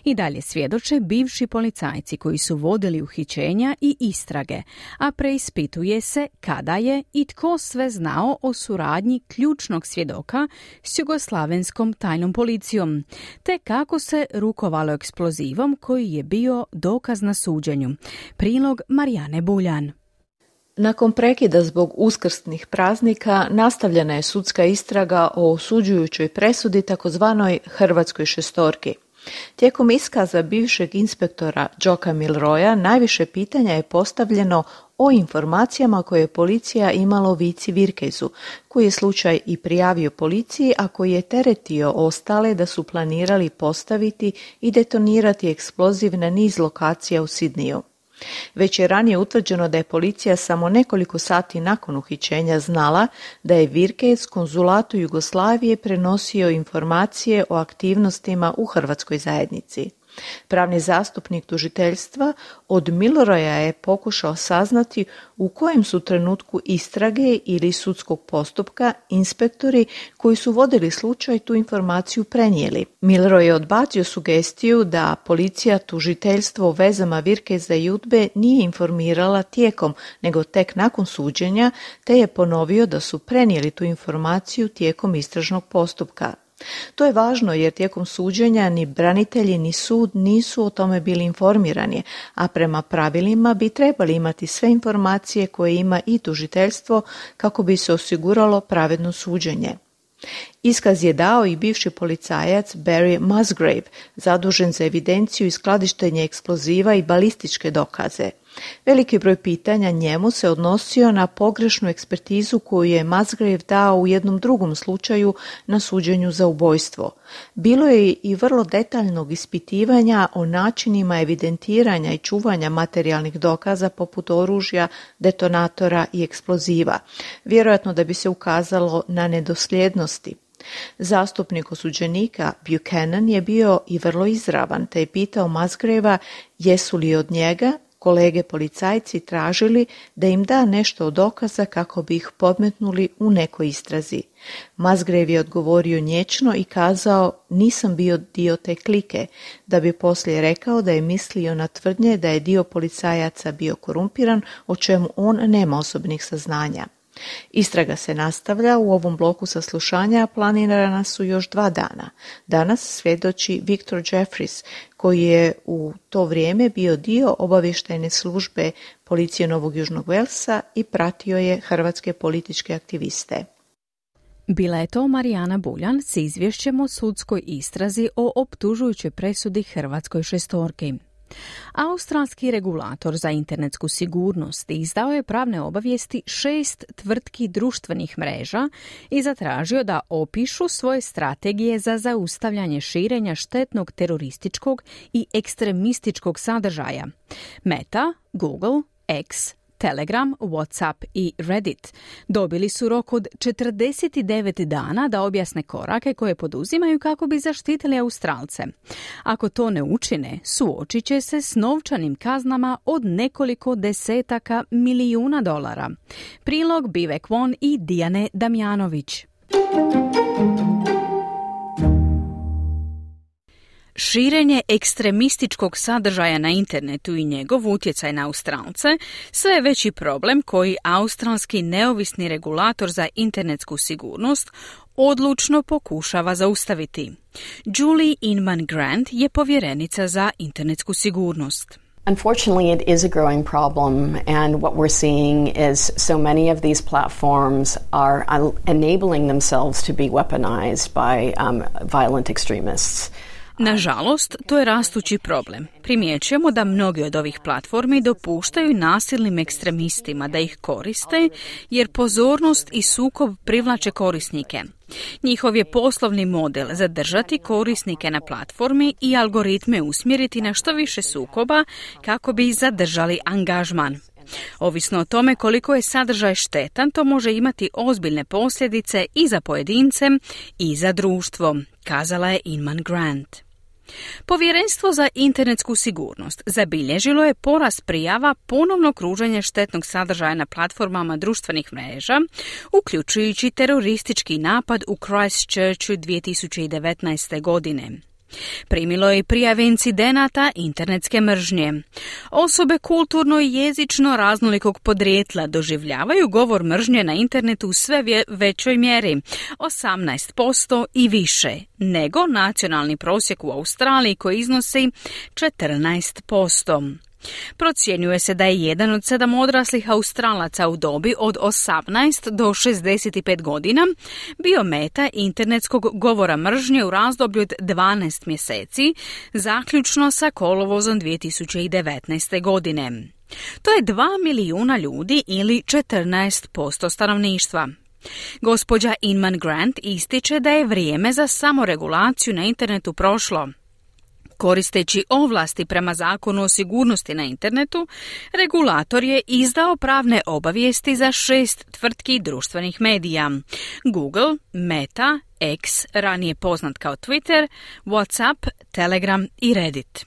I dalje svjedoče bivši policajci koji su vodili uhićenja i istrage, a preispituje se kada je i tko sve znao o suradnji ključnog svjedoka s jugoslavenskom tajnom policijom, te kako se rukovalo eksplozivom koji je bio dokaz na suđenju. Prilog Marijane Buljan. Nakon prekida zbog uskrsnih praznika nastavljena je sudska istraga o osuđujućoj presudi takozvanoj hrvatskoj šestorki. Tijekom iskaza bivšeg inspektora Joka Milroya najviše pitanja je postavljeno o informacijama koje je policija imala o Vici Virkezu, koji je slučaj i prijavio policiji, a koji je teretio ostale da su planirali postaviti i detonirati eksploziv na niz lokacija u Sidniju. Već je ranije utvrđeno da je policija samo nekoliko sati nakon uhićenja znala da je Virkez konzulatu Jugoslavije prenosio informacije o aktivnostima u hrvatskoj zajednici. Pravni zastupnik tužiteljstva od Milroya je pokušao saznati u kojem su trenutku istrage ili sudskog postupka inspektori koji su vodili slučaj tu informaciju prenijeli. Milroy je odbacio sugestiju da policija tužiteljstvo o vezama Virkeza i UDBE nije informirala tijekom, nego tek nakon suđenja, te je ponovio da su prenijeli tu informaciju tijekom istražnog postupka. To je važno jer tijekom suđenja ni branitelji ni sud nisu o tome bili informirani, a prema pravilima bi trebali imati sve informacije koje ima i tužiteljstvo kako bi se osiguralo pravedno suđenje. Iskaz je dao i bivši policajac Barry Musgrave, zadužen za evidenciju i skladištenje eksploziva i balističke dokaze. Veliki broj pitanja njemu se odnosio na pogrešnu ekspertizu koju je Musgrave dao u jednom drugom slučaju na suđenju za ubojstvo. Bilo je i vrlo detaljnog ispitivanja o načinima evidentiranja i čuvanja materijalnih dokaza poput oružja, detonatora i eksploziva, vjerojatno da bi se ukazalo na nedosljednosti. Zastupnik osuđenika Buchanan je bio i vrlo izravan, te je pitao Musgravea jesu li od njega kolege policajci tražili da im da nešto od dokaza kako bi ih podmetnuli u nekoj istrazi. Musgrave je odgovorio nječno i kazao nisam bio dio te klike, da bi poslije rekao da je mislio na tvrdnje da je dio policajaca bio korumpiran, o čemu on nema osobnih saznanja. Istraga se nastavlja, u ovom bloku saslušanja planirana su još 2 dana. Danas svjedoči Victor Jeffries, koji je u to vrijeme bio dio obavještajne službe policije Novog Južnog Velsa i pratio je hrvatske političke aktiviste. Bila je to Marijana Buljan s izvješćem o sudskoj istrazi o optužujućoj presudi hrvatskoj šestorki. Australski regulator za internetsku sigurnost izdao je pravne obavijesti 6 tvrtki društvenih mreža i zatražio da opišu svoje strategije za zaustavljanje širenja štetnog terorističkog i ekstremističkog sadržaja. Meta, Google, X, Telegram, WhatsApp i Reddit dobili su rok od 49 dana da objasne korake koje poduzimaju kako bi zaštitili Australce. Ako to ne učine, suočit će se s novčanim kaznama od nekoliko desetaka milijuna dolara. Prilog Bivek Won i Dijane Damjanović. Širenje ekstremističkog sadržaja na internetu i njegov utjecaj na Australce sve je veći problem koji australski neovisni regulator za internetsku sigurnost odlučno pokušava zaustaviti. Julie Inman Grant je povjerenica za internetsku sigurnost. Unfortunately, it is a growing problem, and what we're seeing is so many of these platforms are enabling themselves to be weaponized by violent extremists. Nažalost, to je rastući problem. Primjećujemo da mnogi od ovih platformi dopuštaju nasilnim ekstremistima da ih koriste, jer pozornost i sukob privlače korisnike. Njihov je poslovni model zadržati korisnike na platformi i algoritme usmjeriti na što više sukoba kako bi zadržali angažman. Ovisno o tome koliko je sadržaj štetan, to može imati ozbiljne posljedice i za pojedince i za društvo, kazala je Inman Grant. Povjerenstvo za internetsku sigurnost zabilježilo je porast prijava ponovno kruženja štetnog sadržaja na platformama društvenih mreža, uključujući teroristički napad u Christchurchu 2019. godine. Primilo je i prijave incidenata internetske mržnje. Osobe kulturno i jezično raznolikog podrijetla doživljavaju govor mržnje na internetu u sve većoj mjeri, 18% i više, nego nacionalni prosjek u Australiji koji iznosi 14%. Procjenjuje se da je 1 od 7 odraslih Australaca u dobi od 18 do 65 godina bio meta internetskog govora mržnje u razdoblju od 12 mjeseci, zaključno sa kolovozom 2019. godine. To je 2 milijuna ljudi ili 14% stanovništva. Gospođa Inman Grant ističe da je vrijeme za samoregulaciju na internetu prošlo. Koristeći ovlasti prema zakonu o sigurnosti na internetu, regulator je izdao pravne obavijesti za 6 tvrtki društvenih medija: Google, Meta, X, ranije poznat kao Twitter, WhatsApp, Telegram i Reddit.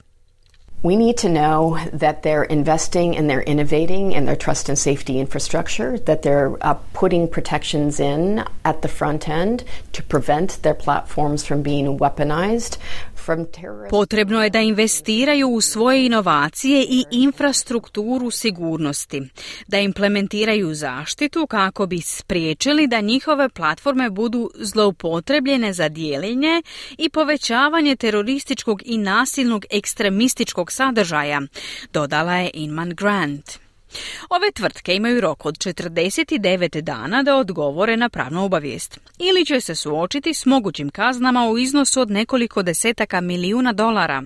We need to know that they're investing and they're innovating in their trust and safety infrastructure, that they're putting protections in at the front end to prevent their platforms from being weaponized. Potrebno je da investiraju u svoje inovacije i infrastrukturu sigurnosti, da implementiraju zaštitu kako bi spriječili da njihove platforme budu zloupotrebljene za dijeljenje i povećavanje terorističkog i nasilnog ekstremističkog sadržaja, dodala je Inman Grant. Ove tvrtke imaju rok od 49 dana da odgovore na pravnu obavijest ili će se suočiti s mogućim kaznama u iznosu od nekoliko desetaka milijuna dolara.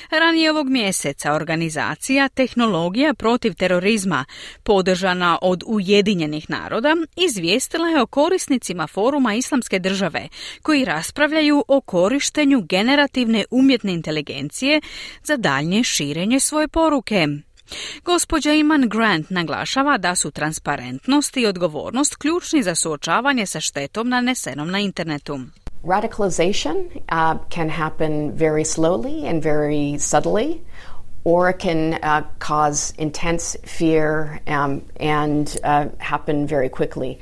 Ranije ovog mjeseca organizacija Tehnologija protiv terorizma, podržana od Ujedinjenih naroda, izvijestila je o korisnicima foruma Islamske države koji raspravljaju o korištenju generativne umjetne inteligencije za daljnje širenje svoje poruke. Gospođa Inman Grant naglašava da su transparentnost i odgovornost ključni za suočavanje sa štetom nanesenom na internetu. Radicalization can happen very slowly and very subtly, or it can cause intense fear and happen very quickly.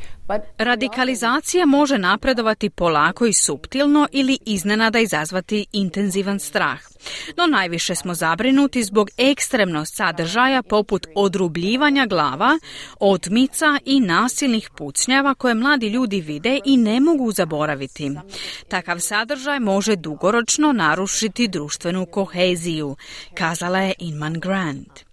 Radikalizacija može napredovati polako i suptilno ili iznenada izazvati intenzivan strah. No najviše smo zabrinuti zbog ekstremnog sadržaja poput odrubljivanja glava, otmica i nasilnih pucnjava koje mladi ljudi vide i ne mogu zaboraviti. Takav sadržaj može dugoročno narušiti društvenu koheziju, kazala je Inman Grant.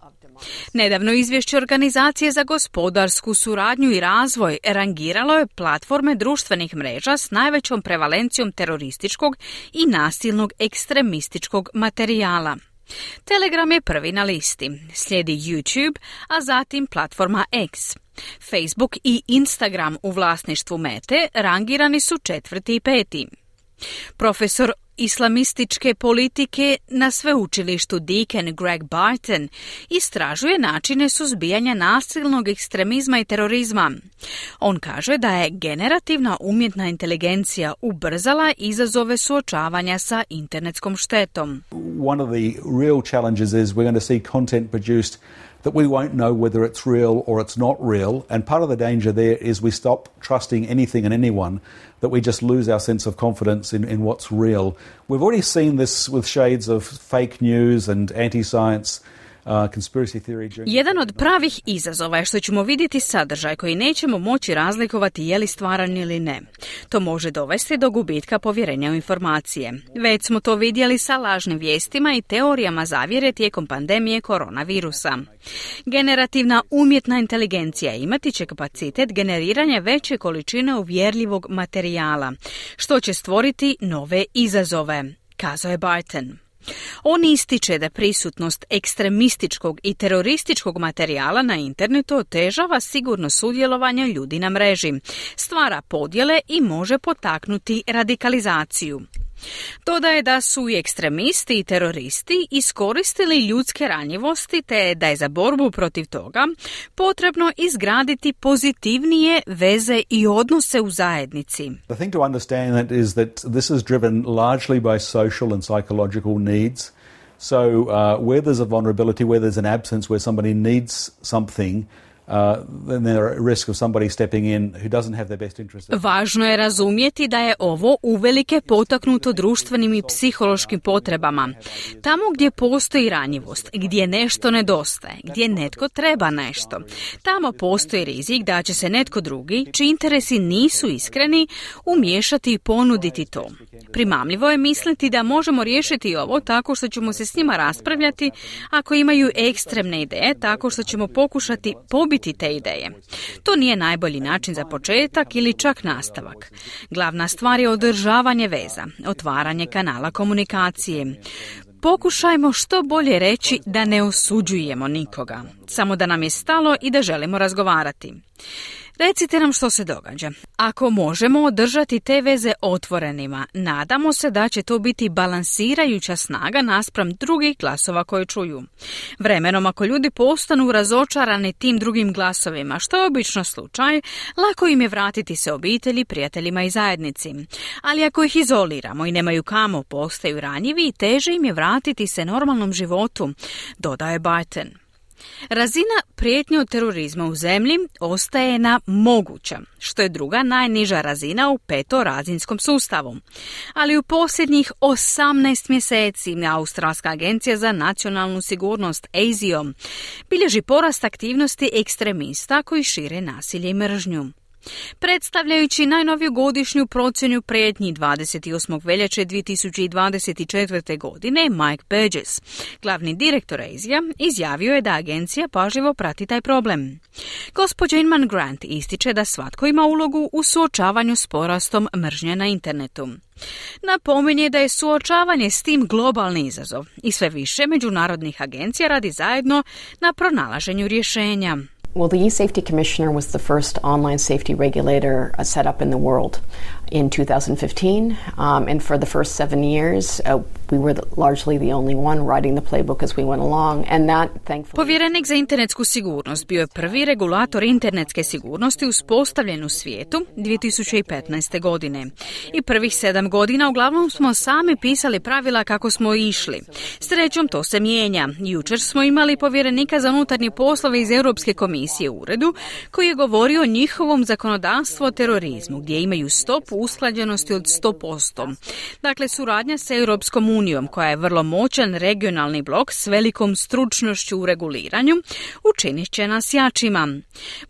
Nedavno izvješće Organizacije za gospodarsku suradnju i razvoj rangiralo je platforme društvenih mreža s najvećom prevalencijom terorističkog i nasilnog ekstremističkog materijala. Telegram je prvi na listi, slijedi YouTube, a zatim platforma X. Facebook i Instagram u vlasništvu Mete rangirani su 4. i 5. Profesor islamističke politike na sveučilištu Deakin Greg Barton istražuje načine suzbijanja nasilnog ekstremizma i terorizma. On kaže da je generativna umjetna inteligencija ubrzala izazove suočavanja sa internetskom štetom. One of the real challenges is we're going to see content produced that we won't know whether it's real or it's not real. And part of the danger there is we stop trusting anything and anyone, that we just lose our sense of confidence in what's real. We've already seen this with shades of fake news and anti-science. Jedan od pravih izazova je što ćemo vidjeti sadržaj koji nećemo moći razlikovati je li stvaran ili ne. To može dovesti do gubitka povjerenja u informacije. Već smo to vidjeli sa lažnim vijestima i teorijama zavjere tijekom pandemije koronavirusa. Generativna umjetna inteligencija imati će kapacitet generiranja veće količine uvjerljivog materijala, što će stvoriti nove izazove, kazao je Barton. On ističe da prisutnost ekstremističkog i terorističkog materijala na internetu otežava sigurno sudjelovanje ljudi na mreži, stvara podjele i može potaknuti radikalizaciju. Dodaje da su i ekstremisti i teroristi iskoristili ljudske ranjivosti te da je za borbu protiv toga potrebno izgraditi pozitivnije veze i odnose u zajednici. The thing to understand is that this is driven largely by social and psychological needs. So where there's a vulnerability, where there's an absence, where somebody needs something, then there are risk of somebody stepping in who doesn't have their best interest. Važno je razumjeti da je ovo uvelike potaknuto društvenim i psihološkim potrebama. Tamo gdje postoji ranjivost, gdje nešto nedostaje, gdje netko treba nešto, tamo postoji rizik da će se netko drugi, čiji interesi nisu iskreni, umiješati i ponuditi to. Primamljivo je misliti da možemo riješiti ovo tako što ćemo se s njima raspravljati ako imaju ekstremne ideje, tako što ćemo pokušati pobiti te ideje. To nije najbolji način za početak ili čak nastavak. Glavna stvar je održavanje veza, otvaranje kanala komunikacije. Pokušajmo što bolje reći da ne osuđujemo nikoga, samo da nam je stalo i da želimo razgovarati. Recite nam što se događa. Ako možemo održati te veze otvorenima, nadamo se da će to biti balansirajuća snaga naspram drugih glasova koje čuju. Vremenom, ako ljudi postanu razočarani tim drugim glasovima, što je obično slučaj, lako im je vratiti se obitelji, prijateljima i zajednici. Ali ako ih izoliramo i nemaju kamo, postaju ranjivi i teže im je vratiti se normalnom životu, dodaje Barton. Razina prijetnje od terorizma u zemlji ostaje na moguća, što je druga najniža razina u petorazinskom sustavu. Ali u posljednjih 18 mjeseci Australska agencija za nacionalnu sigurnost ASIO bilježi porast aktivnosti ekstremista koji šire nasilje i mržnju. Predstavljajući najnoviju godišnju procjenu prijetnji 28. veljače 2024. godine, Mike Burgess, glavni direktor ASIA, izjavio je da agencija pažljivo prati taj problem. Gospođa Inman Grant ističe da svatko ima ulogu u suočavanju s porastom mržnje na internetu. Napominje da je suočavanje s tim globalni izazov i sve više međunarodnih agencija radi zajedno na pronalaženju rješenja. Well, the e-Safety Commissioner was the first online safety regulator set up in the world in 2015, and for the first 7 years, we were largely the only one writing the playbook as we went along, and that thankfully... Povjerenik za internetsku sigurnost bio je prvi regulator internetske sigurnosti uspostavljen u svijetu 2015. godine. I prvih 7 godina uglavnom smo sami pisali pravila kako smo išli. Srećom to se mijenja. Jučer smo imali povjerenika za unutarnje poslove iz Europske komisije u uredu koji je govorio o njihovom zakonodavstvu o terorizmu, gdje imaju stopu usklađenosti od 100%. Dakle, suradnja sa Europskom unijom, koja je vrlo moćan regionalni blok s velikom stručnošću u reguliranju, učinit će nas jačima.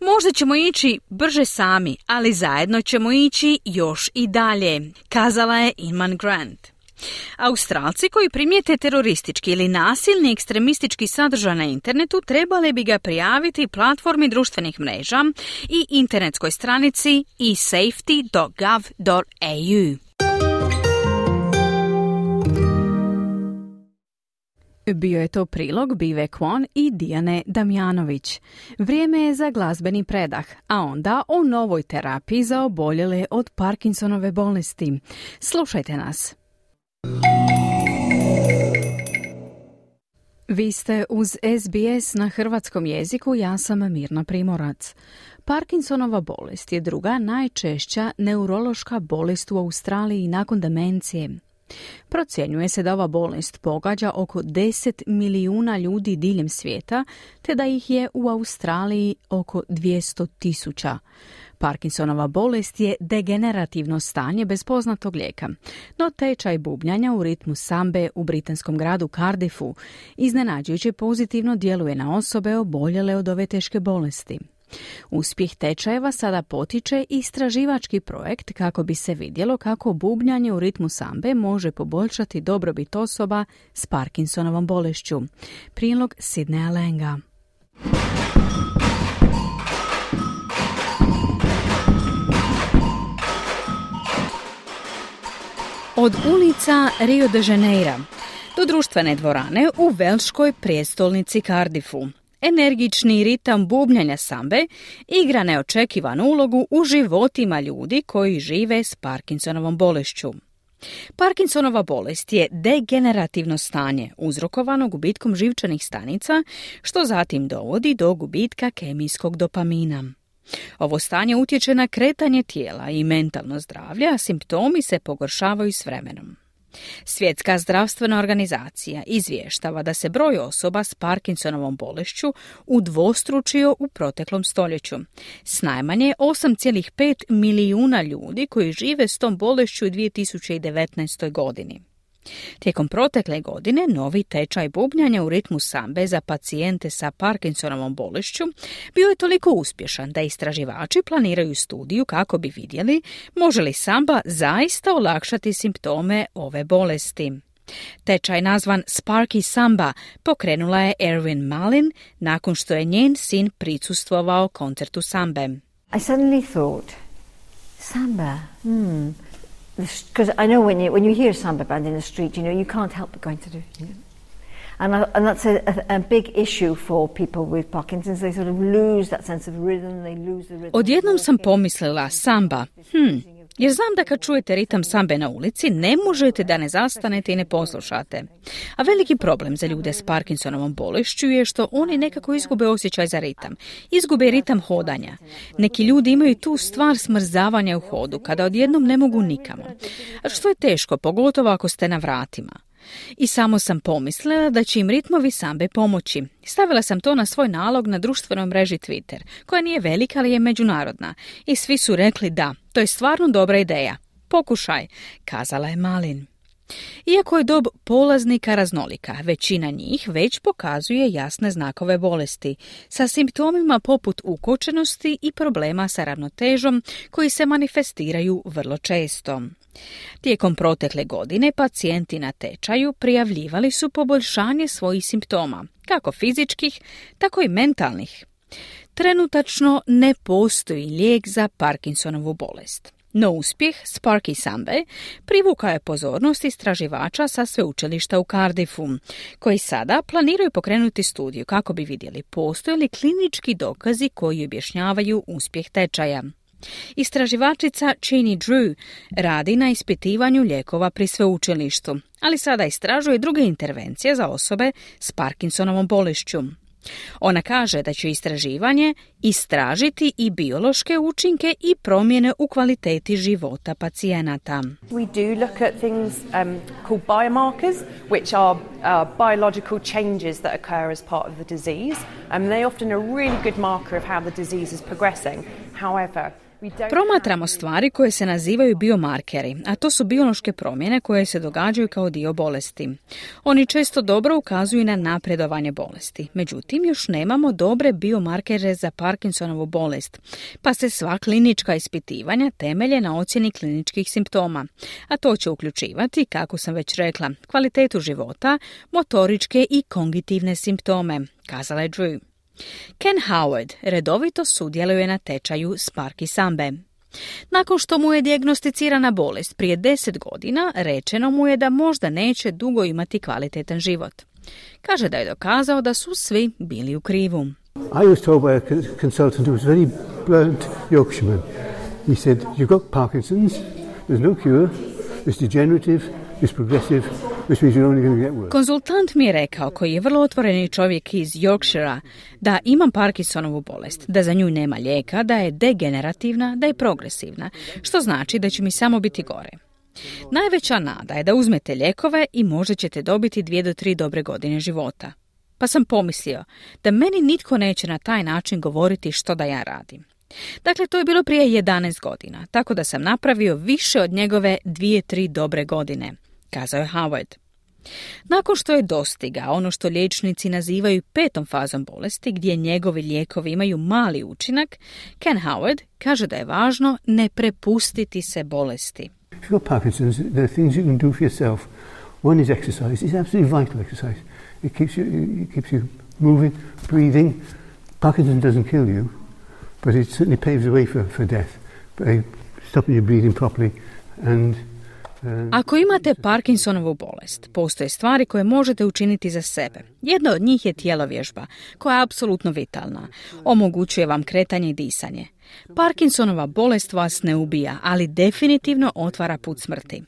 Možda ćemo ići brže sami, ali zajedno ćemo ići još i dalje, kazala je Inman Grant. Australci koji primijete teroristički ili nasilni ekstremistički sadržaj na internetu trebali bi ga prijaviti platformi društvenih mreža i internetskoj stranici esafety.gov.au. Bio je to prilog Bive Kwon i Dijane Damjanović. Vrijeme je za glazbeni predah, a onda o novoj terapiji za oboljele od Parkinsonove bolesti. Slušajte nas. Vi ste uz SBS na hrvatskom jeziku, ja sam Mirna Primorac. Parkinsonova bolest je druga najčešća neurološka bolest u Australiji nakon demencije. Procjenjuje se da ova bolest pogađa oko 10 milijuna ljudi diljem svijeta, te da ih je u Australiji oko 200.000. Parkinsonova bolest je degenerativno stanje bez poznatog lijeka, no tečaj bubnjanja u ritmu sambe u britanskom gradu Cardiffu iznenađujuće pozitivno djeluje na osobe oboljele od ove teške bolesti. Uspjeh tečajeva sada potiče istraživački projekt kako bi se vidjelo kako bubnjanje u ritmu sambe može poboljšati dobrobit osoba s Parkinsonovom bolešću. Prilog Sidneya Langa. Od ulica Rio de Janeiro do društvene dvorane u velškoj prijestolnici Cardiffu. Energični ritam bubnjanja sambe igra neočekivanu ulogu u životima ljudi koji žive s Parkinsonovom bolešću. Parkinsonova bolest je degenerativno stanje uzrokovano gubitkom živčanih stanica, što zatim dovodi do gubitka kemijskog dopamina. Ovo stanje utječe na kretanje tijela i mentalno zdravlje, a simptomi se pogoršavaju s vremenom. Svjetska zdravstvena organizacija izvještava da se broj osoba s Parkinsonovom bolešću udvostručio u proteklom stoljeću, s najmanje 8,5 milijuna ljudi koji žive s tom bolešću u 2019. godini. Tijekom protekle godine novi tečaj bubnjanja u ritmu sambe za pacijente sa Parkinsonovom bolešću bio je toliko uspješan da istraživači planiraju studiju kako bi vidjeli može li samba zaista olakšati simptome ove bolesti. Tečaj nazvan Sparky Samba pokrenula je Erwin Malin nakon što je njen sin prisustvovao koncertu sambe. I suddenly thought, samba, because I know when you hear a samba band in the street, you can't help but going to do, and that's a big issue for people with Parkinson's. They sort of lose that sense of rhythm. They lose the rhythm. Odjednom sam pomislila samba. Jer znam da kad čujete ritam sambe na ulici, ne možete da ne zastanete i ne poslušate. A veliki problem za ljude s Parkinsonovom bolešću je što oni nekako izgube osjećaj za ritam. Izgube ritam hodanja. Neki ljudi imaju tu stvar smrzavanja u hodu, kada odjednom ne mogu nikamo. A što je teško, pogotovo ako ste na vratima. I samo sam pomislila da će im ritmovi sambe pomoći. Stavila sam to na svoj nalog na društvenoj mreži Twitter, koja nije velika, ali je međunarodna. I svi su rekli da, to je stvarno dobra ideja. Pokušaj, kazala je Malin. Iako je dob polaznika raznolika, većina njih već pokazuje jasne znakove bolesti, sa simptomima poput ukočenosti i problema sa ravnotežom koji se manifestiraju vrlo često. Tijekom protekle godine pacijenti na tečaju prijavljivali su poboljšanje svojih simptoma, kako fizičkih, tako i mentalnih. Trenutačno ne postoji lijek za Parkinsonovu bolest. No uspjeh Sparky Sambe privukao je pozornost istraživača sa sveučilišta u Cardiffu, koji sada planiraju pokrenuti studiju kako bi vidjeli postoje li klinički dokazi koji objašnjavaju uspjeh tečaja. Istraživačica Cheney Drew radi na ispitivanju lijekova pri sveučilištu, ali sada istražuje druge intervencije za osobe s Parkinsonovom bolešću. Ona kaže da će istraživanje istražiti i biološke učinke i promjene u kvaliteti života pacijenata. We do look at things called biomarkers, which are biological changes that occur as part of the disease. They often a really good marker of how the disease is progressing. However, promatramo stvari koje se nazivaju biomarkeri, a to su biološke promjene koje se događaju kao dio bolesti. Oni često dobro ukazuju na napredovanje bolesti. Međutim, još nemamo dobre biomarkere za Parkinsonovu bolest, pa se sva klinička ispitivanja temelje na ocjeni kliničkih simptoma. A to će uključivati, kako sam već rekla, kvalitetu života, motoričke i kognitivne simptome, kazala je Drew. Ken Howard redovito sudjeluje na tečaju Sparky Sambe. Nakon što mu je dijagnosticirana bolest prije 10 godina, rečeno mu je da možda neće dugo imati kvalitetan život. Kaže da je dokazao da su svi bili u krivu. I was told by a consultant who was very blunt Yorkshireman. He said, you've got Parkinson's, there's no cure, it's degenerative, it's progressive, which means you're only going to get worse. Konzultant mi je rekao, koji je vrlo otvoreni čovjek iz Yorkshira, da imam Parkinsonovu bolest, da za nju nema lijeka, da je degenerativna, da je progresivna, što znači da će mi samo biti gore. Najveća nada je da uzmete lijekove i možda ćete dobiti 2 do 3 dobre godine života. Pa sam pomislio da meni nitko neće na taj način govoriti što da ja radim. Dakle, to je bilo prije 11 godina, tako da sam napravio više od njegove 2-3 dobre godine, kazao je Howard. Nakon što je dostigao ono što liječnici nazivaju 5. fazom bolesti, gdje njegovi lijekovi imaju mali učinak, Ken Howard kaže da je važno ne prepustiti se bolesti. If you've got Parkinson's, there are things you can do for yourself. One is exercise. It's absolutely vital exercise. It keeps you moving, breathing. Parkinson's doesn't kill you, but it certainly paves the way for death by stopping your breathing properly. Ako imate Parkinsonovu bolest, postoje stvari koje možete učiniti za sebe. Jedna od njih je tjelovježba, koja je apsolutno vitalna. Omogućuje vam kretanje i disanje. Parkinsonova bolest vas ne ubija, ali definitivno otvara put smrti.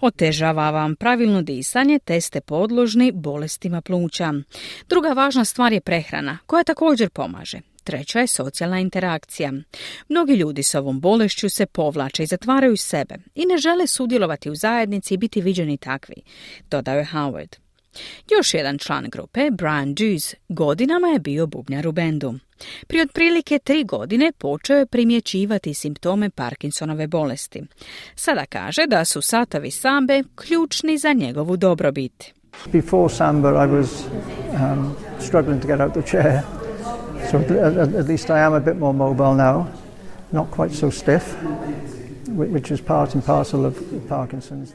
Otežava vam pravilno disanje, te ste podložni bolestima pluća. Druga važna stvar je prehrana, koja također pomaže. Treća je socijalna interakcija. Mnogi ljudi s ovom bolešću se povlače i zatvaraju sebe i ne žele sudjelovati u zajednici i biti viđeni takvi, dodao je Howard. Još jedan član grupe, Brian Dews, godinama je bio bubnjar u bendu. Prije otprilike 3 godine počeo je primjećivati simptome Parkinsonove bolesti. Sada kaže da su satovi sambe ključni za njegovu dobrobit. Before samba I was struggling to get out the chair. So at least I am a bit more mobile now, not quite so stiff, which is part and parcel of Parkinson's.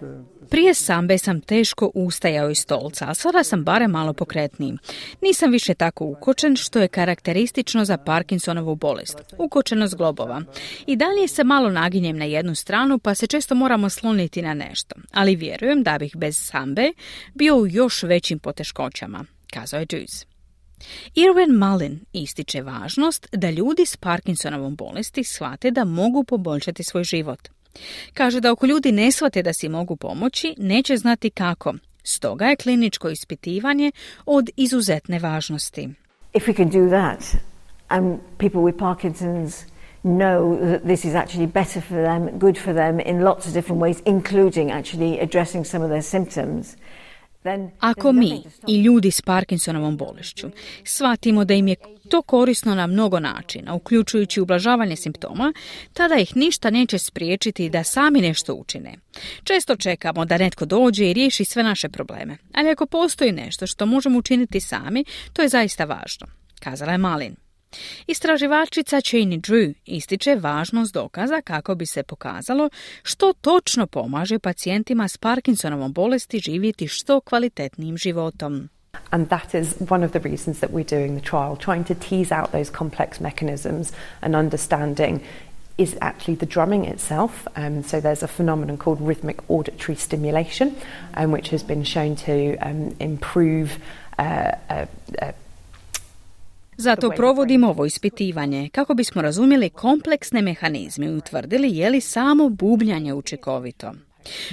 Prije sambe sam teško ustajao iz stolca, a sada sam barem malo pokretniji. Nisam više tako ukočen, što je karakteristično za Parkinsonovu bolest, ukočenost globova. I dalje se malo naginjem na jednu stranu, pa se često moramo sloniti na nešto. Ali vjerujem da bih bez sambe bio u još većim poteškoćama, kazao je Dews. Irwin Mullen ističe važnost da ljudi s Parkinsonovom bolesti shvate da mogu poboljšati svoj život. Kaže da ako ljudi ne shvate da si mogu pomoći, neće znati kako. Stoga je kliničko ispitivanje od izuzetne važnosti. If we can do that, and people with Parkinson's know that this is actually better for them, good for them in lots of different ways, including actually addressing some of their symptoms, ako mi i ljudi s Parkinsonovom bolešću shvatimo da im je to korisno na mnogo načina, uključujući ublažavanje simptoma, tada ih ništa neće spriječiti da sami nešto učine. Često čekamo da netko dođe i riješi sve naše probleme, ali ako postoji nešto što možemo učiniti sami, to je zaista važno, kazala je Malin. Istraživačica Cheney Drew ističe važnost dokaza kako bi se pokazalo što točno pomaže pacijentima s Parkinsonovom bolesti živjeti što kvalitetnijim životom. And that is one of the reasons that we're doing the trial, trying to tease out those complex mechanisms and understanding is actually the drumming itself. So there's a phenomenon called rhythmic auditory stimulation, which has been shown to improve Zato provodimo ovo ispitivanje kako bismo razumjeli kompleksne mehanizme i utvrdili je li samo bubnjanje učinkovito.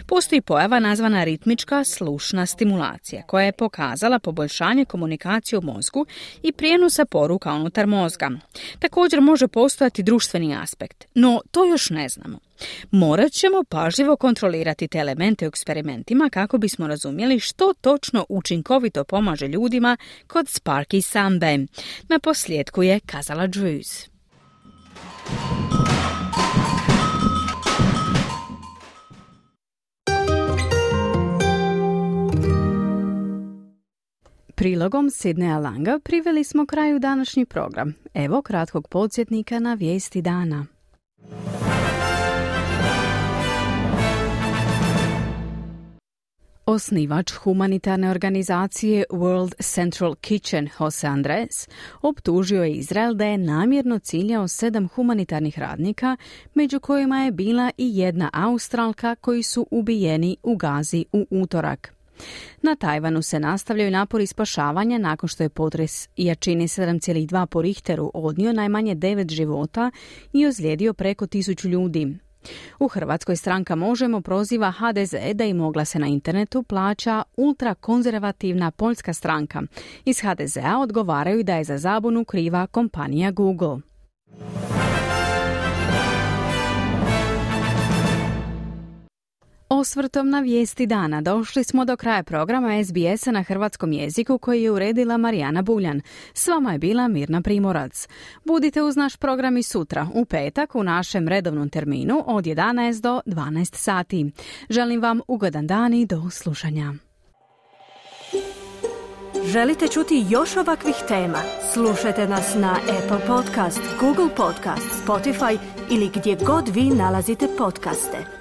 Postoji pojava nazvana ritmička slušna stimulacija koja je pokazala poboljšanje komunikacije u mozgu i prijenosa poruka unutar mozga. Također može postojati društveni aspekt, no to još ne znamo. Morat ćemo pažljivo kontrolirati te elemente u eksperimentima kako bismo razumjeli što točno učinkovito pomaže ljudima kod Sparky sambe. Na posljedku je kazala Drews. Prilogom Sidneya Langa priveli smo kraju današnji program. Evo kratkog podsjetnika na vijesti dana. Osnivač humanitarne organizacije World Central Kitchen Jose Andres optužio je Izrael da je namjerno ciljao 7 humanitarnih radnika, među kojima je bila i jedna Australka koji su ubijeni u Gazi u utorak. Na Tajvanu se nastavljaju napori spašavanja nakon što je potres jačine 7,2 po Richteru odnio najmanje 9 života i ozlijedio preko 1000 ljudi. U Hrvatskoj stranka Možemo proziva HDZ da im oglase na internetu plaća ultrakonzervativna poljska stranka. Iz HDZ-a odgovaraju da je za zabunu kriva kompanija Google. Osvrtom na vijesti dana došli smo do kraja programa SBS-a na hrvatskom jeziku koji je uredila Marijana Buljan. S vama je bila Mirna Primorac. Budite uz naš program i sutra, u petak, u našem redovnom terminu od 11 do 12 sati. Želim vam ugodan dan i do slušanja. Želite čuti još ovakvih tema? Slušajte nas na Apple Podcast, Google Podcast, Spotify ili gdje god vi nalazite podcaste.